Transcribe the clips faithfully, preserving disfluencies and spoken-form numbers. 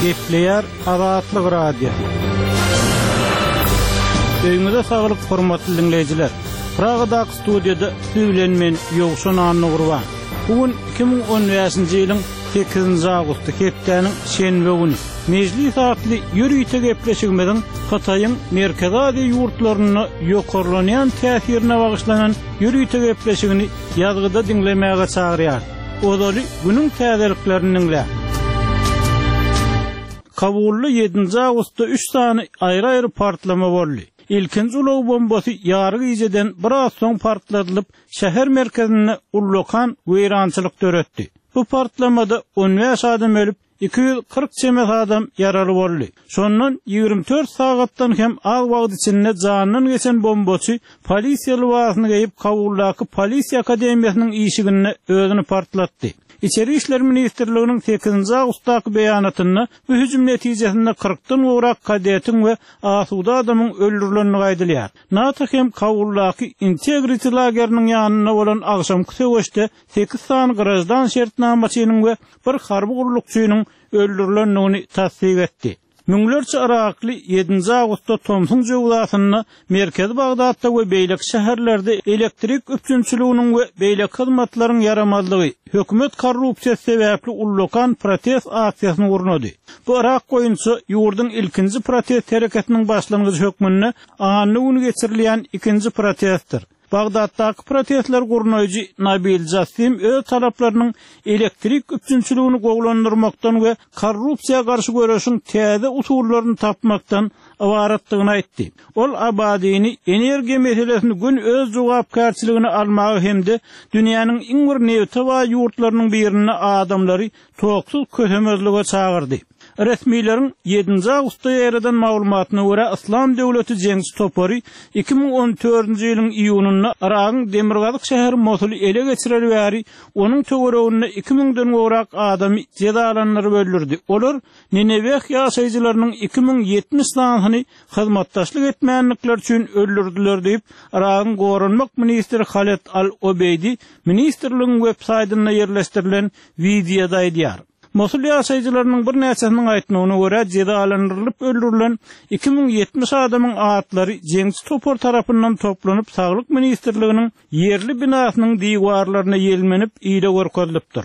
Gepleýär Azatlyk Radiosy. Öýüňize saglyk, hormatly diňleýjiler. Pragadaky studiýada siz bilen men Ýowşan Annagurban. Bu gün iki müň on bäşinji ýylyň sekizinji awgusty, hepdäniň şenbe güni. Mejlis atly ýörite gepleşigimiziň Hytaýyň Merkezi Aziýa ýurtlarynda ýokarlanýan täsirine bagyşlanan ýörite gepleşigini ýazgyda diňlemäge çagyrýar. Ozaly günüň täzeliklerini diňle. Kabulda ýedinji awgustda üç sany aýry-aýry partlama boldy. Ilkinji ulag bombasy ýary gijeden biraz soň partladylyp, şäher merkezinde ullakan weýrançylyk döretdi. Bu partlamada on bäş adam ölüp, iki ýüz kyrk çemesi adam ýaraly boldy. Şondan ýigrimi dört sagatdan hem az wagt içinde jandan geçen bombaçy polisiýa lybasyny geýip Kabuldaky polisiýa akademiýasynyň işiginde özüni partlatdy. Içeri İşler Ministrliginiň sekizinji awgustdaky beýanatynda bu hüjüm netijesinde kyrkdan gowrak kadetiň we asuda adamyň öldürilenligi aýdylýar. NATO hem Kabuldaky Integrity lageriniň ýanynda bolan agşamky söweşde sekiz sany grajdan şertnamaçynyň we bir harby gullukçynyň öldürilendigini tassyk etdi. Müňlerçe Irakly ýedinji awgustda Tomsuň jöwzasynda Merkezi Bagdatda we beýleki şäherlerde elektrik üpjünçiliginiň we beýleki hyzmatlaryň ýaramazlygy, hökümet korrupsiýasy sebäpli ullakan protest aksiýasyny gurnady. Bu Irak boýunça ýurduň ilkinji protest hereketiniň başlangyjy hökmünde anna güni geçirilýän ikinji protestdir. Bagdatdaky protestler gurnaýjy Nabil Jassim öz talaplarynyň elektrik üpjünçiligini gowulandyrmakdan we korrupsiýa garşy göreşiň täze usullaryny tapmakdan ybaratdygyny aýtdy. Ol Abadini energiýa meselesini gün öz jogapkärçiligini almagy hem-de dünýäniň iň bir nebite baý ýurtlarynyň birinde adamlary toksuz kösemezlige çagyrdy. Resmileriň ýedinji awgustda ýereden maglumatyna görä Islam döwleti jeňçi topary iki müň on dördünji ýylyň iýunynda Iragyň demirgazyk şäheri Mosuly ele geçireli bäri onuň töwereginde iki müňden gowrak adamy jezalandyryp öldürdi. Olar Nineveh ýaşaýjylarynyň iki müň ýetmiş sanyny hyzmatdaşlyk etmänlikler üçin öldürdüler diýip, Iragyň goranmak ministri Haled Al-Obeýdi ministrligiň web saýtynda ýerleşdirilen wideoda aýdýar. Mosul ýaşaýjylarynyň birnäçesiniň aýtmagyna görä jezalandyrylyp öldürilen iki müň ýetmiş adamyň atlary jeňçi topar tarapyndan toplanyp Saglyk ministrliginiň ýerli binasynyň diwarlaryna ýelmenip ile görkezilipdir.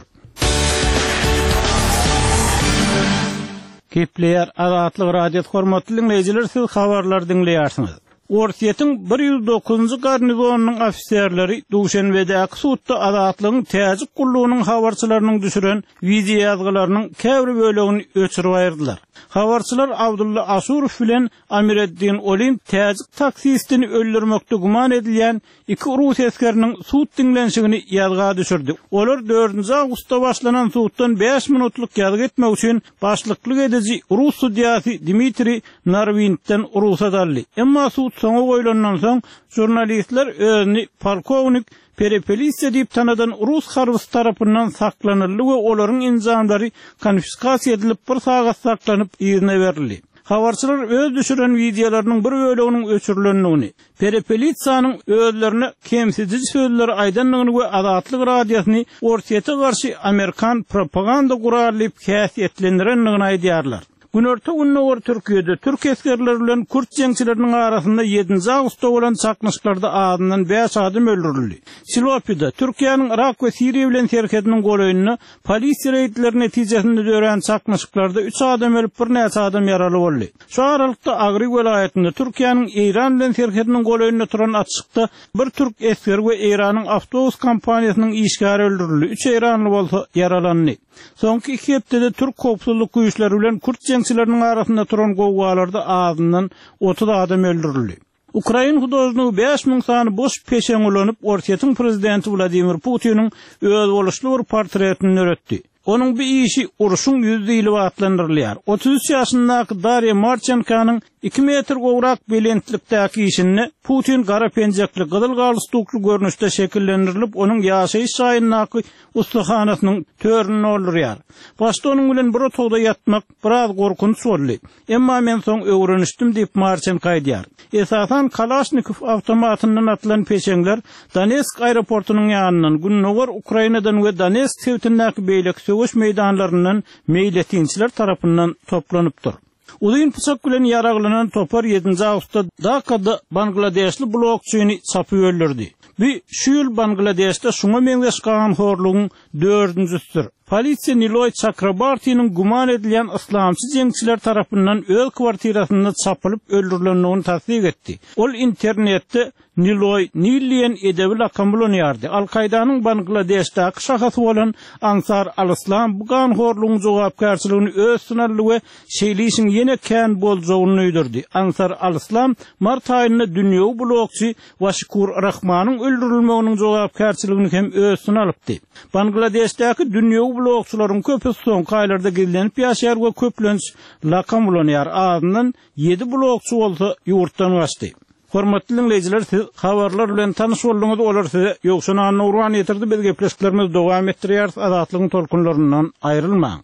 Gepleýär Azatlyk Radiosy hormatly dinleýjiler, siz habarlar diňleýärsiňiz. Orsýetiň bir ýüz dokuzynjy garnizonynyň ofiserleri Duşenbedäki sudda Azatlygyň Täjik gullugynyň habarçylarynyň düşüren wideo ýazgylarynyň käbir bölegini öçürip aýyrdylar. Habarçylar Abdulla Aşurow bilen Amireddin Olim Täjik taksistini öldürmekde güman edilýän iki rus esgeriniň sud diňlenişigini ýazga düşürdi. Olar dördünji awgustda başlanan suddan bäş minutlyk ýazgy etmek üçin başlyklyk ediji rus sudýasy Dmitriý Narwintden rugsat aldy. Emma sud soňa goýlandan soň jurnalistler özüni polkownik Perepelitsa diýip tanadan rus harbysy tarapyndan saklanyldy we olaryň enjamlary konfiskasiýa edilip bir sagat saklanyp yzyna berildi. Habarçylar öz düşüren wideolarynyň bir böleginiň öçürilendigini, Perepelitsanyň özlerine kemsidiji sözleri aýdandygyny we Azatlyk Radiosyny Orsýete garşy Amerikan propaganda guraly diýip häsiýetlendirendigini aýdýarlar. Günorta Gündogar Türkiýede türk esgerleri bilen kürt jeňçileriniň arasynda ýedinji awgustda bolan çaknyşyklarda azyndan bäş adam öldürildi. Silopida, Türkiýäniň Irak we Siriýa bilen serhediniň golaýynda polisiýa reýdleri netijesinde dörän çaknyşyklarda üç adam ölüp, birnäçe adam ýaraly boldy. Şu aralykda Agry welaýatynda Türkiýäniň Eýran bilen serhediniň golaýynda turan atyşykda bir türk esgeri we Eýranyň awtobus kompaniýasynyň işgäri öldürildi, üç eýranly bolsa ýaralandy. Soňky iki hepdede türk howpsuzlyk güýçleri bilen kürt jeňçileriniň arasynda turan gowgalarda azyndan otuz adam öldürildi. Ukrain hudožnigi bäş müň sany boş peşeň ulanyp, Orsýetiň prezidenti Wladimir Putiniň özboluşly bir portretini döretdi. Onuň bu işi urşuň ýüzi diýlip atlandyrylýar. Otuz üç ýaşyndaky Darýa Marçenkanyň Iki metr gowrak belentlikdäki işinde Putin gara penjekli gyzyl galstukly görnüşde şekillendirilip, onuň ýaşaýyş jaýyndaky ussahanasynyň törünü doldurýar. Başda onuň bilen bir otagda ýatmak biraz gorkunç boldy. Emma men soň öwrenişdim diýip Marçenko aýdýar. Esasan Kalaşnikow awtomatyndan atylan peşeňler Donetsk aeroportunyň ýanyndan, Gündogar Ukrainadan we Donetsk sebitindäki beýleki söweş meýdanlaryndan meýletinçiler tarapyndan toplanypdyr. Uzyn pyçak bilen ýaraglanan topar ýedinji awgustda Dakada Bangladeşli blokçyny çapyp öldürdi. Bu şu ýyl Bangladeşde şuňa meňzeş ganhorlugyň dördünjisidir. Polisiýa Niloý Çakrabartiniň güman edilýän yslamçy jeňçiler tarapyndan öz kwartirasynda çapylyp öldürilendigini tassyk etdi. Ol internetde Niloý Nil diýen edebi lakam ulanýardy. Al-Kaýdanyň Bangladeşdäki şahasy bolan Ansar al-Islam bu ganhorlugyň jogapkärçiligini öz üstüne aldy we şeýle işiň ýene kän boljagyny duýdurdy. Ansar al-Islam mart aýynda dünýewi blokçy Waşikur Rahmanyň öldürilmeginiň jogapkärçiligini hem öz üstüne alypdy. Bangladeşdäki dünýewi blokçylaryň köpüsi soňky aýlarda gizlenip ýaşaýar we köplenç lakam ulanýar. Azyndan ýedi blokçy bolsa ýurtdan gaçdy. Hormatly dinleýjiler, siz habarlar bilen tanyş bolduňyz, olar size Ýowşan Annurwan ýetirdi. Biz gepleşiklerimizi dowam etdirýäris. Azatlygyň tolkunlaryndan aýrylmaň.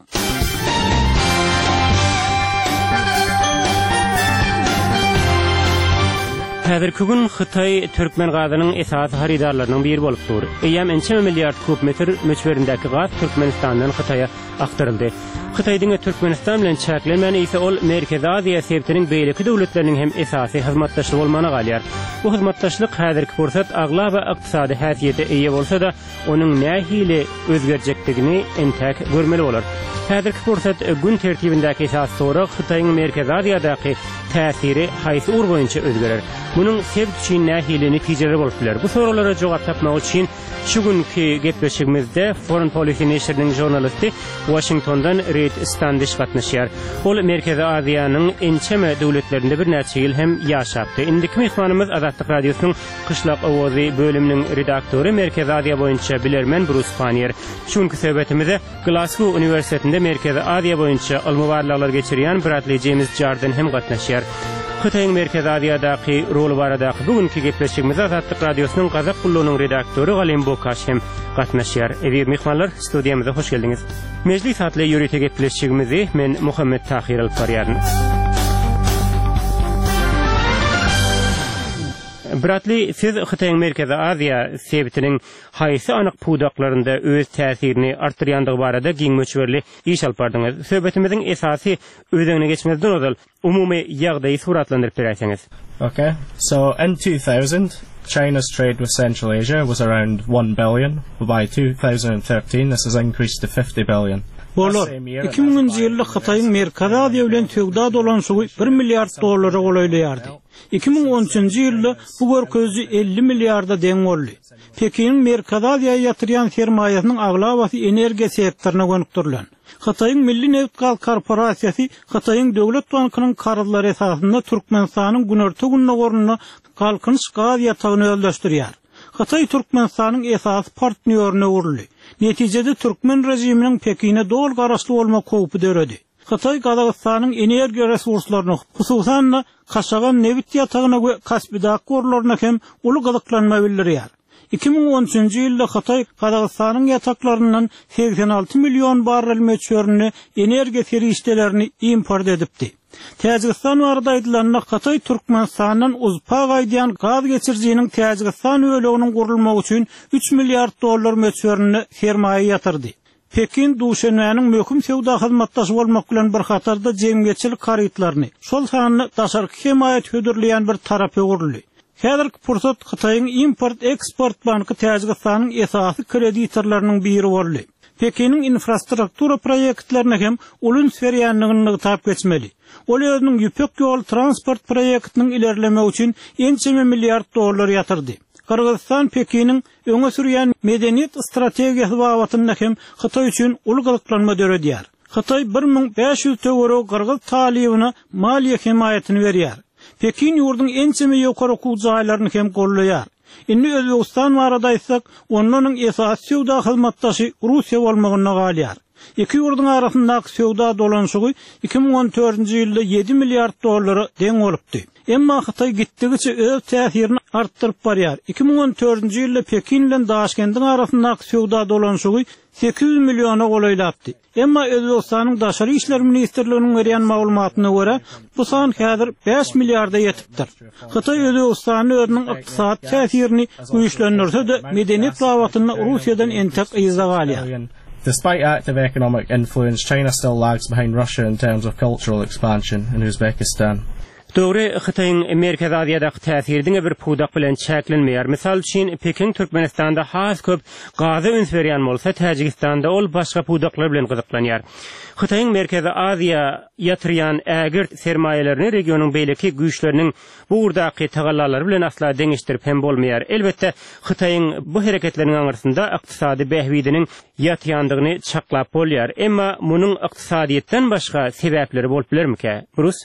Häzirki gün Hytaý türkmen gazynyň esasy harydarlarynyň biri bolup dur. Eýýäm ençeme milliard kub metr möçberindäki gaz Türkmenistandan Hytaýa aktaryldy. Hytaý diňe Türkmenistan bilen çäklenmän, eýse ol Merkezi Aziýa sebitiniň beýleki döwletleriniň hem esasy hyzmatdaşy bolmagyna galýar. Bu hyzmatdaşlyk häzirki pursat aglaba ykdysady häsiýete eýe bolsa-da, onuň nähili özgerjekdigini entäk görmeli bolar. Häzirki pursat gün tertibindäki esasy sorag Hytaýyň Merkezi Aziýadaky täsiri haýsy ugur boýunça özgerer? Munuň sebit üçin nähili netijeleri bolup biler? Bu soraglara jogap tapmak üçin şu günkü gepleşigimizde Foreign Policy neşiriniň žurnalisti Washingtondan Reid Standish gatnaşýar. Ol Merkezi Aziýanyň ençeme döwletlerinde birnäçe ýyl hem ýaşapdy. Indiki myhmanymyz Azatlyk Radiosynyň Gyşlak Owazy bölüminiň redaktory Merkezi Aziýa boýunça bilermen Brus Pannier. Şu günkü söhbetimize Glasgow Uniwersitetinde Merkezi Aziýa boýunça ylmy barlaglar geçirýän Bradley James Jardin hem gatnaşýar. Hytaýyň Merkezi Aziýadaky rolu baradaky bugünkü gepleşigimize Azatlyk Radiosynyň Gazak gullugynyň redaktory Galim Bokaş hem gatnaşýar. Eziz myhmanlar, studiýamyza hoş geldiňiz. Mejlis atly ýörite gepleşigimizi men Muhammet Tahir alyp barýaryn. Bradley, siz Hytaýyň Merkezi Aziýa sebitiniň haýsy anyk pudaklarynda öz täsirini artdyrýandygy barada giň möçberli iş alyp bardyňyz. Söhbetimiziň esasy özegine geçmezden ozal umumy ýagdaýy suratlandyryp beräýseňiz. Okay. So in two thousand, China's trade with Central Asia was around one billion. By two thousand thirteen, this has increased to fifty billion. Bolar. iki müňünji ýylda Hytaýyň Merkezi Aziýa bilen söwda dolanyşygy bir milliard dollara golaýlaýardy. iki müň on üçünji ýylda bu görkeziji elli milliarda deň boldy. Pekiniň Merkezi Aziýa ýatyrýan sermaýasynyň aglabasy energiýa sektoryna gönükdirilen. Hytaýyň Milli Nebit-gaz korporasiýasy Hytaýyň Döwlet bankynyň karzlary esasynda Türkmenistanyň günorta gündogarynda Galkynyş gaz ýatagyny özleşdirýär. Hytaý Türkmenistanyň esasy partnýoryna öwrüldi. Netijede türkmen rejiminiň Pekine doly garaşly bolmak howpy döredi. Hytaý Gazagystanyň energiýa resurslaryny, hususan-da Kaşagan nebit ýatagyna we Kaspidak gorlaryna hem uly gyzyklanma bildirýär. iki müň on üçünji ýylda Hytaý Gazagystanyň ýataklaryndan segsen alty million barrel möçberinde energiýa serişdelerini import edipdi. Täjigistan barada aýdylanda Hytaý Türkmenistandan uzpa gaýdýan gaz geçirijiniň Täjigistan böleginiň gurulmagy üçin üç milliard dollar möçberinde sermaýa ýatyrdy. Pekin Duşenbäniň möhüm söwda hyzmatdaşy bolmak bilen bir hatarda jemgyýetçilik harytlaryny, şol sanda daşarky hemaýat hödürleýän bir tarap öwrüldi. Häzirki pursat Hytaýyň import-eksport banky Täjigistanyň esasy kreditorlarynyň biri boldy. Pekiniň infrastruktura proýektlerine hem uly üns berýändigini nygtap geçmeli. Ol özüniň Ýüpek ýol transport proýektiniň ilerlemegi üçin ençeme milliard dollar ýatyrdy. Gyrgyzystan Pekiniň öňe sürýän medeniýet strategiýasy babatynda hem Hytaý üçin uly gyzyklanma döredýär. Hytaý bir müň bäş ýüz töweregi Gyrgyz talybyna maliýe hemaýatyny berýär. Pekin ýurduň ençeme ýokary okuw jaýlaryny hem gollaýar. Indi Özbegistan barada aýtsak, ondan esasy söwda hyzmatdaşy Russiýa bolmagyna galýar. Iki ýurduň arasyndaky söwda dolanyşygy iki müň on dördünji ýylda ýedi milliard dollara deň bolupdy. Emma Hytaý gitdigiçe öz täsirini artdyryp barýar. Iki müň on dördünji ýylda Pekin bilen Daşkendiň arasyndaky söwda dolanyşygy sekiz ýüz milliona golaýlapdy. Emma Özbegistanyň Daşary işler ministrliginiň berýän maglumatyna görä, bu san häzir bäş milliarda ýetipdir. Hytaý Özbegistanyň özüniň ykdysady täsirini güýçlendirse-de, medeniýet babatynda Russiýadan entek yzda galýar. Despite active economic influence, China still lags behind Russia in terms of cultural expansion in Uzbekistan. Dogry, Hytaýyň Merkezi Aziýadaky täsiri diňe bir pudak bilen çäklenmeýär. Mysal üçin, Pekin Türkmenistanda has köp gaza üns berýän bolsa, Täjigistanda ol başga pudaklar bilen gyzyklanýar. Hytaýyň Merkezi Aziýa ýatyrýan ägirt sermaýalaryny regionyň beýleki güýçleriniň bu ugurdaky tagallalary bilen asla deňeşdirip hem bolmaýar. Elbetde, Hytaýyň bu hereketleriniň aňyrsynda ykdysady bähbidiniň ýatýandygyny çaklap bolýar. Emma munuň ykdysadyýetden başga sebäpleri bolup bilermikä? Brus?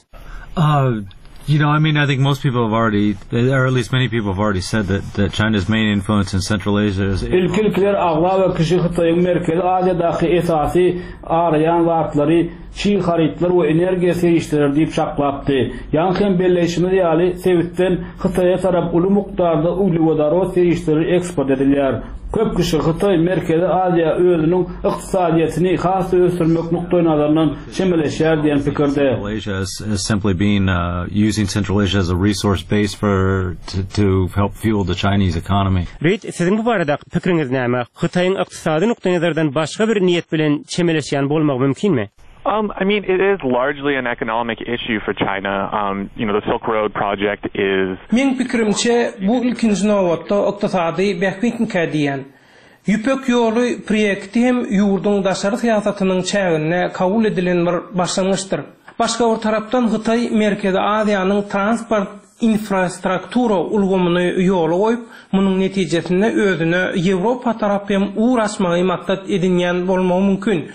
Uh, you know, I mean, I think most people have already, or at least many people have already said that, that China's main influence in Central Asia is... Ilki-ilkiler aglaba kişi Hytaýyň Merkezi Aziýadaky esasy araýan zatlary çig harytlar we energiýa serişdeleri diýip çaklapdy. Ýaňky hem belleýşimiz ýaly, sebitden Hytaýa tarap uly mukdarda uglewodorod serişdeleri eksport edilýär. Köp kişi Hytaý Merkezi Aziýa özüniň ykdysadyýetini has ösdürmek nukdaý nazaryndan çemeleşýär diýen pikirde. Central Asia is, is simply being, uh, using Central Asia as a resource base for to, to help fuel the Chinese economy. Reid, siziň bu barada pikiriňiz näme? Hytaýyň ykdysady nukdaý nazardan başga bir niýet bilen çemeleşýän bolmagy mümkinmi? Um, I mean, it is largely an economic issue for China. Um, you know, the Silk Road project is... Meň pikirimçe bu ilkinji nobatda ykdysady bähbitmikä diýen. Ýüpek ýoly proýekti hem ýurduň daşary syýasatynyň çäginde kabul edilen bir başlangyçdyr. Başga bir tarapdan Hytaý Merkezi Aziýanyň transport infrastruktura ulgamyny ýola goýup, munuň netijesinde özüne Ýewropa tarap hem ugur açmagy maksat edinýän bolmagy mümkin.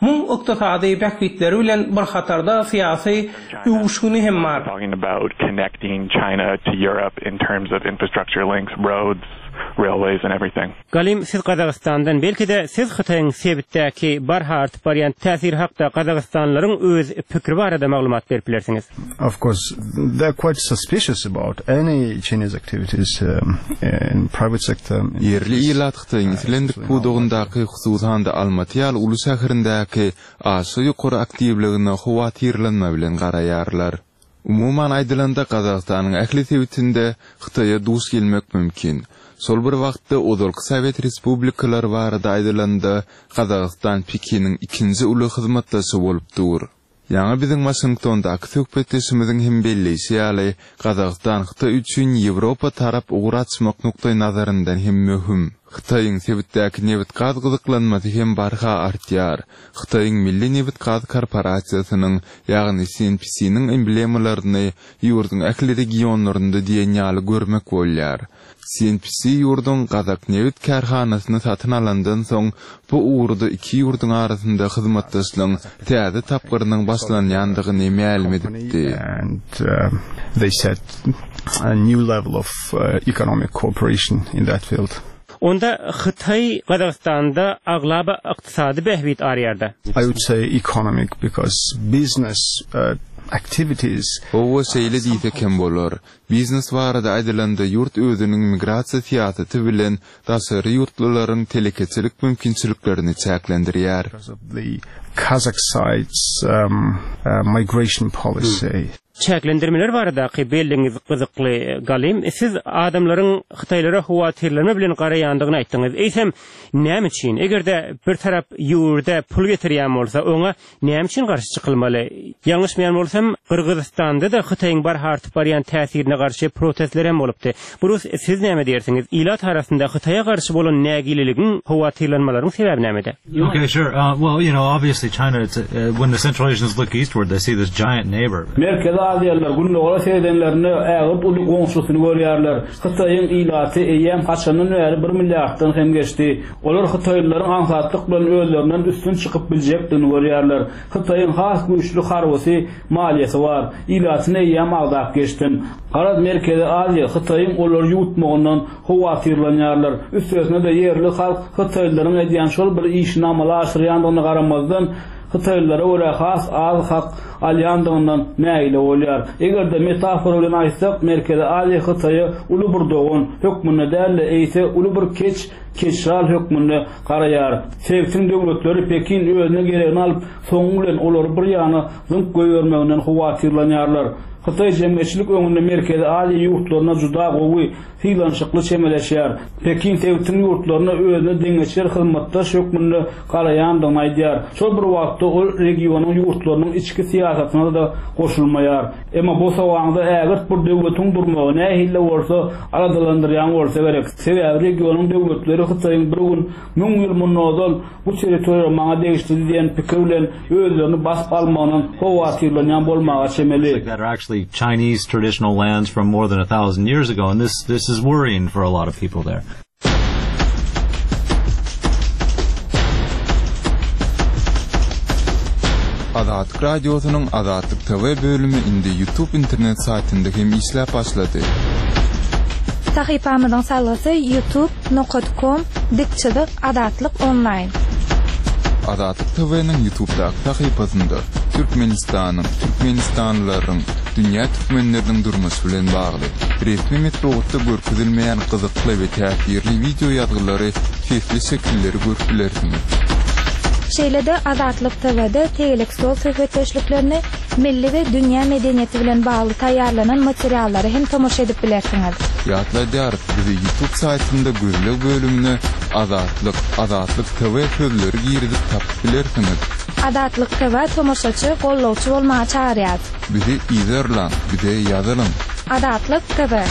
Muň ykdysady bähbitleri bilen bir hatarda syýasy öwüşgini hem bar. Talking about connecting China to Europe in terms of infrastructure links, roads, railways and everything. Galim, siz Gazagystandan, belki de siz Hytaýyň sebitdäki barha artyp barýan täsir hakda Gazagystanlylaryň öz pikiri barada maglumat berip bilersiňiz. Of course, they're quite suspicious about any Chinese activities, um, in private sector. Ýerli ilat Hytaýyň islendik pudagyndaky hususan-da Almaty ýaly uly şäherindäki aşa ýokary aktiwligine howatyrlanma bilen garaýarlar. Umuman aýdylanda Gazagystanyň ähli sebitinde Hytaýa duş gelmek mümkin. Şol bir wagtda ozalky Sowet respublikalary barada aýdylanda Gazagystan Pekiniň ikinji uly hyzmatdaşy bolup dur. Ýaňy biziň Washingtondaky söhbetdeşimiziň hem belleýşi ýaly, Gazagystan Hytaý üçin Ýewropa tarap ugur açmak nukdaý nazaryndan hem möhüm. Hytaýyň sebitdäki nebit-gaz gyzyklanmasy hem barha artýar. Hytaýyň Milli Nebit-gaz korporasiýasynyň, ýagny C N P C-niň emblemalaryny ýurduň ähli regionlarynda diýen ýaly görmek bolýar. C N P C ýurduň Gazak nebit kärhanasyny satyn alandan soň bu ugurda iki ýurduň arasynda hyzmatdaşlygyň täze tapgyrynyň başlanýandygyny mälim edipdi. And, uh, they set a new level of, uh, economic cooperation in that field. Onda Hytaý Gazagystanda aglaba ykdysady bähbit arýardy. I would say economic because business, uh, activities. Owa şeýle diýsek hem bolar. Biznes barada aýdylanda ýurt özüniň migrasiýa syýasaty bilen daşary ýurtlylaryň telekeçilik mümkinçiliklerini çäklendirýär. Because of the Kazakh side's, um, uh, migration policy. Hmm. Çäklendirmeler baradaky belliňiz gyzykly Galim, siz adamlaryň Hytaýlara howatyrlanma bilen garaýandygyny aýtdyňyz. Eýsem, näme üçin? Eger-de bir tarap ýurda pul getirýän bolsa, oňa näme üçin garşy çykylmaly? Ýalňyşmaýan bolsam, Gyrgyzystanda da Hytaýyň barha artyp barýan täsirine garşy protestler hem bolupdy. Brus, siz näme diýersiňiz? Ilat arasynda Hytaýa garşy bolan nägileligiň howatyrlanmalaryň sebäbi nämede? Okay, sure. Uh, well, you know, obviously China, it's, uh, when the Central Asians look eastward, they see this giant neighbor. Merkezi Aziýalylar Gündogara seredenlerinde ägirt uly goňşusyny görýärler. Hytaýyň ilaty eýýäm haçandan bäri bir milliarddan hem geçdi. Olar Hytaýlylaryň aňsatlyk bilen özlerinden üstün çykyp biljekdigini görýärler. Hytaýyň has güýçli harbysy, maliýesi bar. Ilatyny eýýäm agzap geçdim. Garaz Merkezi Aziýa Hytaýyň olary ýuwutmagyndan howatyrlanýarlar. Üstesine-de ýerli halk Hytaýlylaryň edýän şol bir işini amala aşyrýandygyna garamazdan Hytaýlylara görä has az hak alýandygyndan nägile bolýar. Eger-de metafora bilen aýtsak, Merkezi Aziýa Hytaýa uly bir dogan hökmünde däl-de, eýse uly bir keç keçral hökmünde garaýar. Sebitiň döwletleri Pekin özüne geregini alyp, soňy bilen olary bir ýana zyňyp goýbermeginden howatyrlanýarlar. Hytaý jemgyýetçilik öňünde Merkezi Aziýa ýurtlaryna juda gowy, sylanyşykly çemeleşýär. Pekin sebitiň ýurtlaryna özüne deňeçer hyzmatdaş hökmünde garaýandygyny aýdýar. Şol bir wagtda ol regionyň ýurtlarynyň içki syýasatyna da goşulmaýar. Emma bu sowaňda ägirt bir döwletiň durmagy nähili bolsa aladalandyrýan bolsa gerek. Sebäbi regionyň döwletleri Hytaýyň bir gün müň ýyl mundan ozal bu territoriýa maňa degişli diýen pikir bilen özlerini basyp almagyndan howatyrlanýan bolmaga çemeli. That are actually Chinese traditional lands from more than a thousand years ago, and this, this is worrying for a lot of people there. Azatlyk Radiosynyň Azatlyk T V bölümi indi YouTube internet saýtynda hem işläp başlady. Sahypamyzyň salgysy youtube nokta com dik çyzyk Azatlyk online. Azatlyk T V-niň YouTube'daky sahypasynda Türkmenistanyň, Türkmenistanlylaryň, dünýä türkmenleriniň durmuşy bilen bagly resmi metbugatda görkezilmeýän gyzykly we täsirli video ýazgylary, sesli şekilleri görüp bilersiňiz. Şeýle-de Azatlyk T V-de tegelek stol söhbetdeşliklerini milli we dünýä medeniýeti bilen bagly taýýarlanan materiallary hem tomaşa edip bilersiňiz. Ýatladýarys, bizi YouTube saýtynda gözleg bölümine Azatlyk, Azatlyk T V sözleri girizip tapyp bilersiňiz. Azatlyk T V tomaşaçy, gollawçy bolmaga çagyrýar. Bizi izerlaň, bize ýazylyň. Azatlyk T V.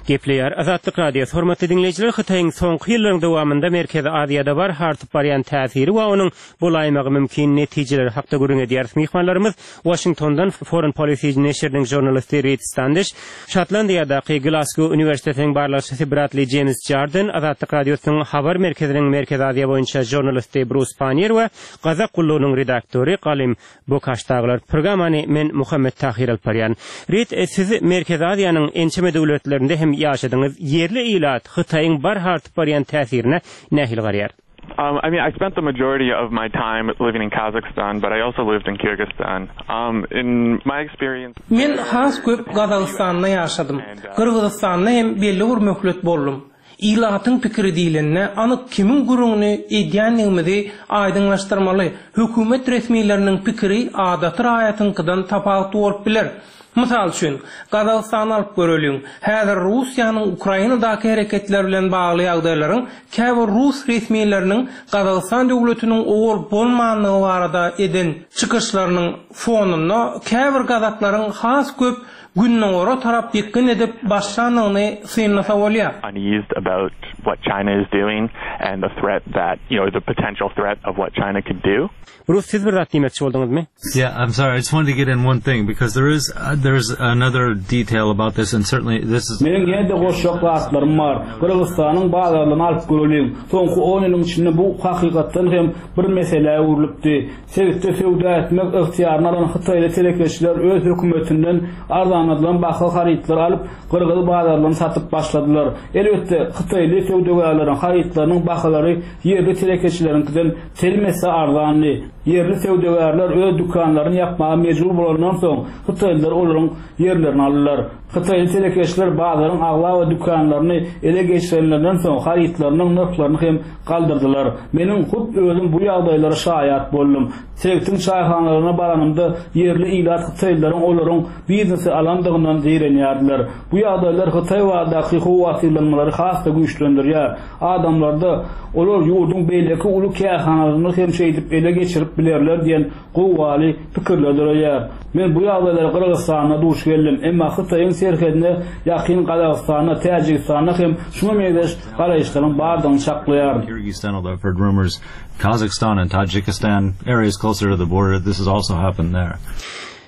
Gepleýär Azatlyk Radiosy. Hormatly dinleýjiler, Hytaýyň soňky ýyllaryň dowamynda Merkezi Aziýada bar artyp barýan täsiri we onuň bolaýmagy mümkin netijeleri hakda gürrüň edýäris. Myhmanlarymyz Washingtondan Foreign Policy neşiriniň žurnalisti Reed Standish, Şotlandiýadaky Glasgow Uniwersitetiniň barlagçysy Bradley James Jarden, Azatlyk Radiosynyň habar merkeziniň Merkezi Aziýa boýunça žurnalisti Bruce Pannier we Gazak gullugynyň redaktory Galim Bokaşdaglar. Programmany men Muhammet Tahir alyp barýan. Reed, siz Merkezi Aziýanyň ençeme döwletlerinde hem ýaşadyňyz. Ýerli ilat Hytaýyň bar artyp barýan täsirine nähili garaýar? Um, I mean, I spent the majority of my time living in Kazakhstan, but I also lived in Kyrgyzstan. Um, in my experience... Men has köp Gazagystanda ýaşadym. Gyrgyzystanda hem belli bir möhlet boldum. Ilatyň pikiri diýlende, anyk kimiň gürrüňini edýändigimizi aýdyňlaşdyrmaly. Hökümet resmileriniň pikiri adaty raýatyňkydan tapawutly bolup biler. Mysal üçin, Gazagystany alyp göreliň. Häzir Russiýanyň Ukrainadaky hereketler bilen bagly ýagdaýlaryň käbir rus resmileriniň Gazagystan döwletiniň owal bolmanlygy barada eden çykyşlarynyň fonunda käbir gazaklaryň has köp Gündogara tarap ýykgyn edip başlandygyny synlasa bolýar. Uneased about what China is doing and the threat that, you know, the potential threat of what China could do. Bruce, siz bir zat diýmekçi bolduňyzmy? Yeah, I'm sorry. I just wanted to get in one thing because there is, uh, there's another detail about this, and certainly this is Meniň ýene-de goşjak zatlarym bar. Gyrgyzystanyň bazarlaryny alyp göreliň. Soňky on ýylyň içinde bu hakykatdan hem bir meselä öwrülipdi. Sebitde söwda etmek ygtyýaryny alan Hytaýly telekeçiler öz hökümetinden arzanladylan baha harytlar alyp, Gyrgyz bazarlaryny satyp başladylar. Elbetde, Hytaýly söwdagärleriň harytlarynyň bahalary ýerli telekeçileriňkiden telim esse arzandy. Ýerli söwdagärler öz dükanlaryny ýapmaga mejbur bolandan soň Hytaýlylar olaryň ýerlerini aldylar. Hytaýly telekeçiler bazaryň aglaba dükanlaryny ele geçirenlerinden soň harytlarynyň nyrhlaryny hem galdyrdylar. Meniň hut özüm bu ýagdaýlara şaýat boldum. Sebitiň çaýhanalaryna baranymda ýerli ilat Hytaýlylaryň olaryň biznesi alandygyndan zeýrenýärdiler. Bu ýagdaýlar Hytaý baradaky howatyrlanmalary has-da güýçlendirýär. Adamlarda olar ýurduň beýleki uly kärhanalaryny hem şeýdip ele geçirip bilerler diýen gowgaly pikirler döreýär. Men bu ýagdaýlara Gyrgyzystanda duş geldim. Emma Hytaýyň serhedine ýakyn Gazagystanda, Täjigistanda hem şuňa meňzeş garaýyşlaryň bardygyny çaklaýaryn. Kyrgyzstan, although I've heard rumors, Kazakhstan and Tajikistan, areas closer to the border, this has also happened there.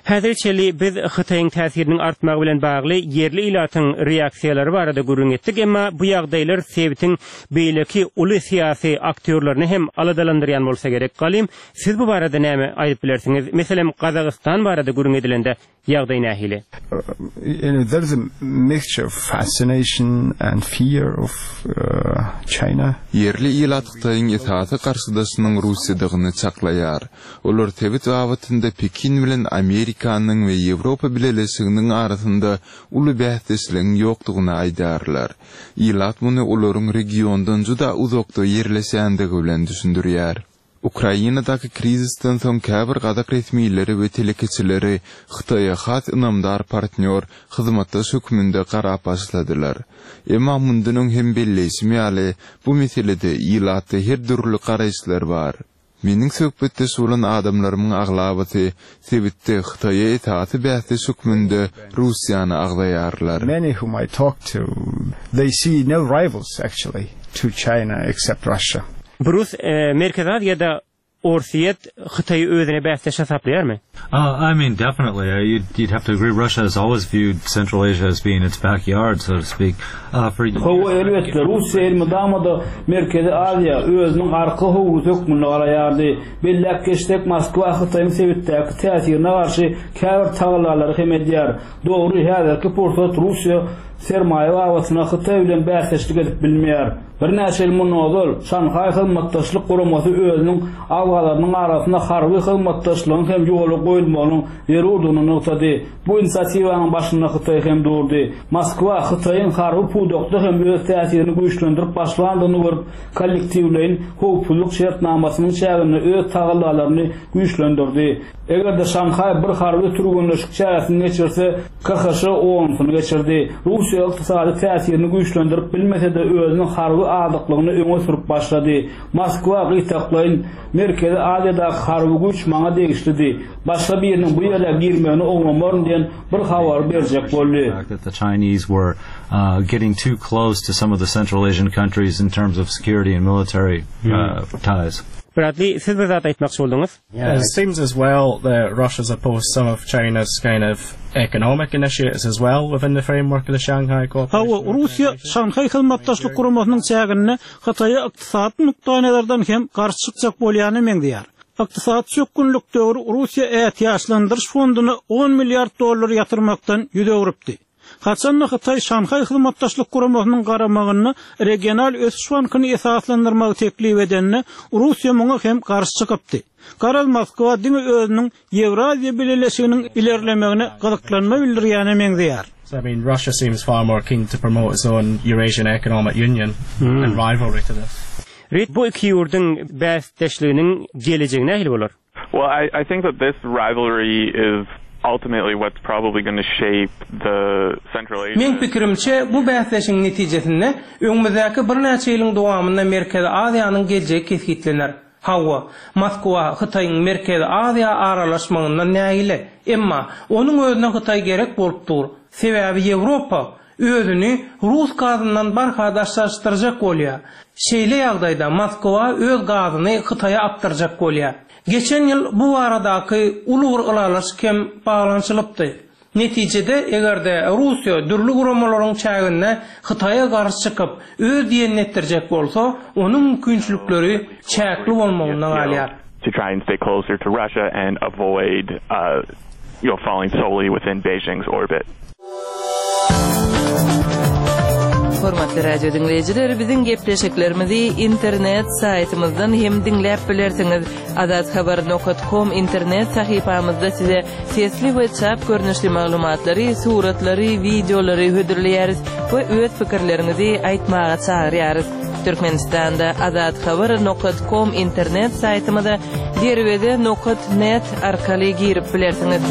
Häzire çenli biz Hytaýyň täsiriniň artmagy bilen bagly ýerli ilatyň reaksiýalary barada gürrüň etdik, emma bu ýagdaýlar sebitiň beýleki uly syýasy aktýorlaryny hem aladalandyrýan bolsa gerek. Galym, siz bu barada näme aýdyp bilersiňiz? Meselem, Gazagystan barada gürrüň edilende ýagdaý nähili? You know, there's a mixture of fascination and fear of uh, China. Ýerli ilat Hytaýyň esasy garşydaşynyň Russiýadygyny çaklaýar. Olar sebit babatynda Pekin bilen Amerikanyň we Ýewropa Bileleşiginiň arasynda uly bäsdeşligiň ýokdugyny aýdarlar. Ilat muny olaryň regiondan juda uzakda ýerleşýändigi bilen düşündirýär. Ukrainadaky krizisden soň käbir gazak resmileri we telekeçileri Hytaýa has ynamdar partnýor, hyzmatdaş hökmünde garap başladylar. Emma mundan öň hem belleýşim ýaly, bu meselede ilatda her dürli garaýyşlar bar. Meniň söhbetdeş bolan adamlarymyň aglabasy sebitde Hytaýa esasy bäsdeş hökmünde Russiýany agzaýarlar. Many whom I talk to, they see no rivals actually to China except Russia. Brus, e, Merkezi Aziýada Orsýet Hytaýy özüne bäsdeş hasaplaýarmy? Uh, I mean, definitely. Uh, you'd, you'd have to agree. Russia has always viewed Central Asia as being its backyard, so to speak. Uh, for Hawa elbetde Russiýa elmydama-da Merkezi Aziýa özüniň arka howlusy hökmünde garaýardy. Belläp geçsek, Moskwa Hytaýyň sebitdäki täsirine garşy käbir tagallalary hem edýär. Dogry, häzirki pursat Russiýa sermaýa babatynda Hytaý bilen bäsdeşlik edip bilmeýär. Birnäçe ýyl mundan ozal Şanhaý hyzmatdaşlyk guramasy özüniň agzalarynyň arasynda harby hyzmatdaşlygyň hem ýola goýulmagynyň zerurdygyny nygtady. Bu inisiatiwanyň başynda Hytaý hem durdy. Moskwa Hytaýyň harby pudakda hem öz täsirini güýçlendirip başlandygyny görüp, kollektiwleýin howpsuzlyk şertnamasynyň çäginde öz tagallalaryny güýçlendirdi. Eger-de Şanhaý bir harby türgenleşik çäresini geçirse, K H Ş onusyny geçirdi. Russiýa ykdysady täsirini güýçlendirip bilmese-de özüniň harby azyklygyny öňe sürüp başlady. Moskwa gytaklaýyn Merkezi Aziýadaky harby güýç maňa degişlidi. Başga biriniň bu ýere girmegini oňlamaryn diýen bir habary berjek boldy. The fact that the Chinese were uh, getting too close to some of the Central Asian countries in terms of security and military uh, ties. Bradley, siz bir zat aýtmakçy bolduňyz? It seems as well that Russia's opposed some of China's kind of economic initiatives as well within the framework of the Shanghai Cooperation. Hawa, Russiýa Şanhaý hyzmatdaşlyk guramasynyň çäginde Hytaýa ykdysady nukdaýnazardan hem garşy çykjak bolýany meňzeýär. Ykdysady çökgünlik döwri Russiýa ätiýaçlandyryş fonduny on milliard dollar ýatyrmakdan ýüz öwrüpdi. Haçanda Hytaý Şanhaý hyzmatdaşlyk guramasynyň garamagynda regional ösüş bankyny esaslandyrmagy teklip edende Russiýa muňa hem garşy çykypdy. Garaz Moskwa diňe özüniň Ýewraziýa Bileleşiginiň ilerlemegine gyzyklanma bildirýäne meňzeýär. So, I mean, Russia seems far more keen to promote its own Eurasian Economic Union in rivalry to this. Rit bu iki ýurduň bäsdeşliginiň gelejegi nähili bolar? Well, I, I think that this rivalry is ultimately what's probably going to shape the Central Asia. Meň pikirimçe bu bäsdeşiň netijesinde öňümizdäki birnäçe ýylyň dowamynda Merkezi Aziýanyň geljegi kesgitlener. Hawa, Moskwa Hytaýyň Merkezi Aziýa aralaşmagyndan nägile. Emma onuň özüne Hytaý gerek bolup dur. Sebäbi Ýewropa özüni Rus gazyndan barha daşlaşdyrjak bolýar. Şeýle ýagdaýda Moskwa öz gazyny Hytaýa akdyrjak bolýar. Geçen ýyl bu baradaky uly bir ylalaşyk hem baglanyşylypdy. Netijede eger-de Russiýa dürli guramalaryň çäginde Hytaýa garşy çykyp öz diýenini etdirjek bolsa, onuň mümkinçilikleri çäkli bolmagynda galýar. To try and stay closer to Russia and avoid uh, you know, falling solely within Beijing's orbit. Hormatly radio diňleýjiler, biziň gepleşiklerimizi internet saýtymyzdan hem diňläp bilersiňiz. Azathabar nokta com internet sahypamyzda size sesli we çap görnüşli maglumatlary, suratlary, wideolary hödürleýäris we öz pikirleriňizi aýtmaga çagyrýarys. Türkmenistanda azathabar nokta com internet saýtymyza derweze nokta net arkaly girip bilersiňiz.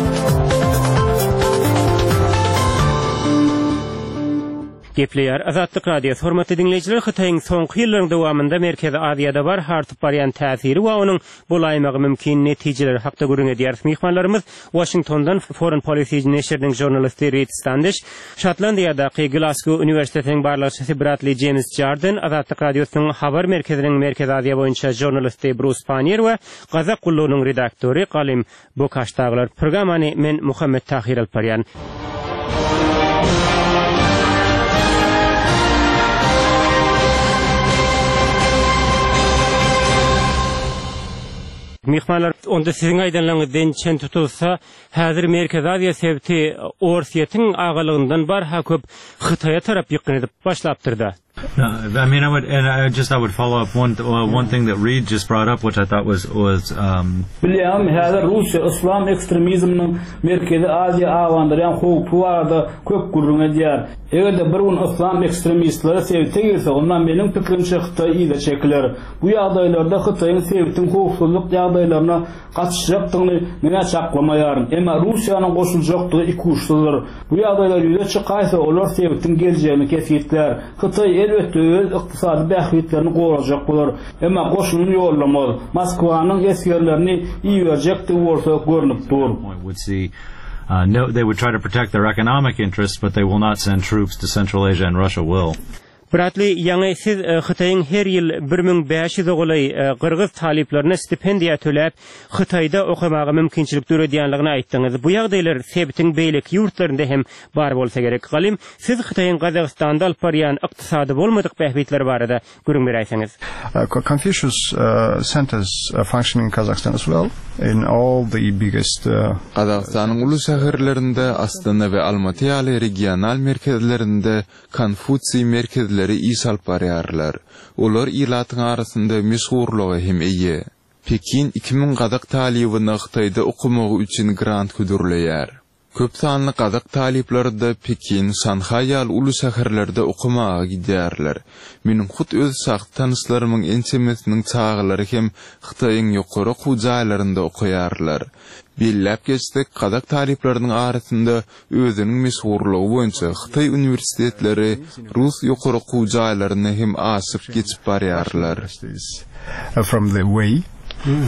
Gepleýär Azatlyk Radiosy. Hormatly diňleýjiler, Hytaýyň soňky ýyllaryň dowamynda Merkezi Aziýada barha artyp barýan täsiri we onuň bolaýmagy mümkin netijeleri hakda gürrüň edýäris. Myhmanlarymyz Waşingtondan Foreign Policy neşiriniň žurnalisti Reed Standiş, Şotlandiýadaky Glasgow uniwersitetiniň barlagçysy Bradley James Jarden, Azatlyk Radiosynyň habar merkeziniň Merkezi Aziýa boýunça žurnalisti Brus Pannier we Gazak gullugynyň redaktory Galym Bokaş dagylar. Programmany men Muhammet Tahir alyp barýan. Myhmanlar, onda siziň aýdanlaryňyzdan çen tutulsa, häzir Merkezi Aziýa sebiti Orsýetiň agalygyndan barha köp Hytaýa tarap ýykgyn edip başlapdyr-da. No, I mean, I would, and I just I would follow up one uh, one thing that Reed just brought up, which I thought was was. Um, Bilýäňmi, häzir Russiýa yslam ekstremizminiň Merkezi Aziýa abandyrýan howpy barada köp gürrüň edýär. Eger-de bir gün yslam ekstremistleri sebite girse, onda meniň pikirimçe Hytaý yza çekiler. Bu ýagdaýlarda Hytaýyň sebitiň howpsuzlyk ýagdaýlaryna gatyşjakdygyny men çaklamaýaryn. Emma Russiýanyň goşuljakdygy ikuçsuzdyr. Bu ýagdaýlar ýüze çykaýsa, olar sebitiň geljegini kesgitlär. Hytaý elbetde öz ykdysady bähbitlerini gorajak bolar. Emma goşunyny ýollamaz. Moskwanyň esgerlerini iberjekdigi bolsa görnüp dur. would see uh, no, they would try to protect their economic interests, but they will not send troops to Central Asia, and Russia will. Bradley, ýaňy siz e, Hytaýyň her ýyl bir müň bäş ýüz golaý e, gyrgyz talyplaryna stipendiýa töläp, Hytaýda okamaga mümkinçilik döredýänligini aýtdyňyz. Bu ýagdaýlar sebitiň beýleki ýurtlarynda hem bar bolsa gerek. Galym, siz Hytaýyň Gazagystanda alyp barýan ykdysady bolmadyk bähbitleri barada gürrüň beräýseňiz. Uh, Confucius uh, centers uh, functioning in Kazakhstan as well, in all the biggest uh, Gazagystanyň uly şäherlerinde Astana we Almaty ýaly regional merkezlerinde Konfusiý merkezleri iş alyp barýarlar. Olar ilatyň arasynda meşhurlyga hem eýe. Pekin iki müň gazak talybyna Hytaýda okamagy üçin grant hödürleýär. Köp sanly gazak talyplary-da Pekin, Şanhaý ýaly uly şäherlerde okamaga gidýärler. Meniň hut öz şahsy tanyşlarymyň ençemesiniň çagalary hem Hytaýyň ýokary okuw jaýlarynda okaýarlar. Belläp geçsek, gazak talyplarynyň arasynda özüniň meşhurlygy boýunça Hytaý uniwersitetleri Rus ýokary okuw jaýlaryny hem aşyp geçip barýarlar. from the way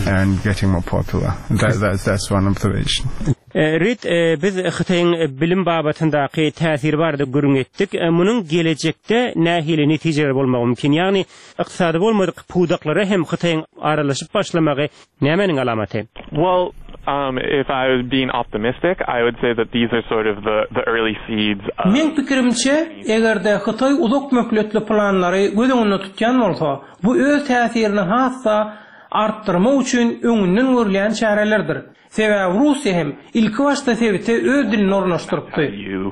and getting more popular. That, that, that's one observation. Reed, biz Hytaýyň bilim babatyndaky täsiri barada gürrüň etdik. Munuň gelejekde nähili netijeler bolmagy mümkin? Ýagny ykdysady bolmadyk pudaklara hem Hytaýyň aralaşyp başlamagy nämäniň alamaty? Well, um, if I was being optimistic, I would say that these are sort of the, the early seeds of Meň pikirimçe, eger-de Hytaý uzak möhletli planlary göz öňünde tutýan bolsa, bu öz täsirini has-da artdyrmak üçin öňünden görülýän çärelerdir. Sebäbi Russiýa hem ilki başda sebite öz dilini ornaşdyrypdy. you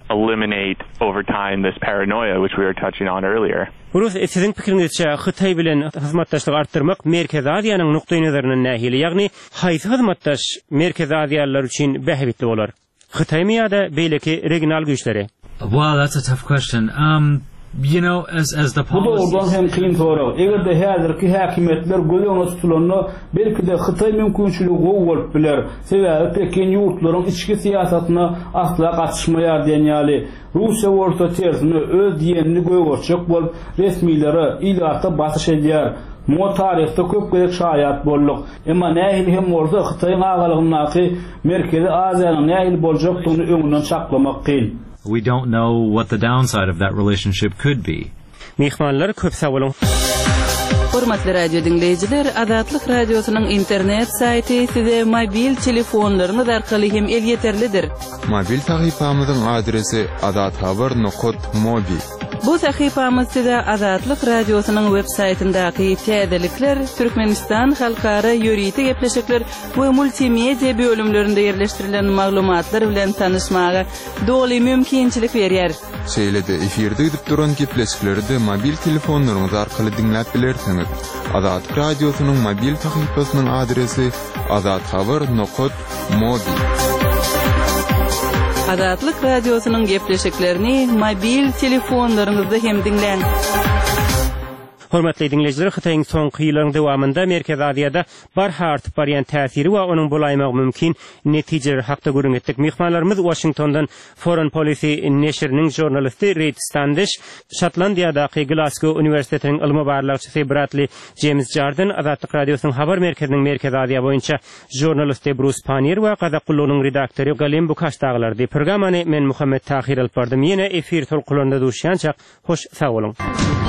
eliminate over time this paranoia which we were touching on earlier. Brus, siziň pikiriňizçe Hytaý bilen hyzmatdaşlygy artdyrmak Merkezi Aziýanyň nukdaý nazaryndan nähili? Ýagny haýsy hyzmatdaş Merkezi Aziýalylar üçin bähbitli bolar? Hytaýmy ýa-da beýleki regional güýçleri? Well, that's a tough question. Um, you know, as as the Bu policy dogrudan hem kyn sorag. Eger-de häzirki häkimiýetler göz öňünde tutulanda, belki-de Hytaý mümkinçiligi gowy bolup biler. Sebäbi Pekin ýurtlaryň içki syýasatyna asla gatyşmaýar diýen ýaly. Russiýa bolsa tersine öz diýenini gögertjek bolup, resmilere, ilata basyş edýär. Muňa taryhda köp gezek şaýat bolduk. Emma nähili hem bolsa Hytaýyň agalygyndaky Merkezi Aziýanyň nähili boljakdygyny öňünden çaklamak kyn. we don't know what the downside of that relationship could be. Myhmanlar köp sag boluň. Hormatly radio diňleýjiler, Azatlyk radiosynyň internet saýty size mobil telefonlaryňyz arkaly hem elýeterlidir. Mobil sahypamyzyň adresi azathabar.mobi. Bu sahypamyz size Azatlyk radiosynyň web saýtyndaky täzelikler, Türkmenistan halkara ýörite gepleşikler we multimedia bölümlerinde ýerleşdirilen maglumatlar bilen tanyşmaga doly mümkinçilik berýär. Şeýle-de efirde gidip duran gepleşikleri de mobil telefonlaryňyz arkaly diňläp bilersiňiz. Azatlyk radiosynyň mobil sahypasynyň adresi azathabar.mobi. Azatlyk radiosynyň gepleşiklerini mobil telefonlaryňyzda hem diňläň. Hormatly diňleýjiler, Hytaýyň soňky ýyllaryň dowamynda Merkezi Aziýada barha artyp barýan täsiri we onuň bolaýmagy mümkin netijeleri hakda gürrüň etdik. Myhmanlarymyz Waşingtondan Foreign Policy neşiriniň žurnalisti Reid Standiş, Şotlandiýadaky Glasgow uniwersitetiniň ylmy barlagçysy Bradley James Jardin, Azatlyk Radiosynyň habar merkeziniň Merkezi Aziýa boýunça žurnalisti Brus Pannier we Gazak gullugynyň redaktory Galym Bukaş dagylardy. Programmany men Muhammet Tahir alyp bardym. Ýene efir tolkunlarynda duşýançak, hoş sag boluň.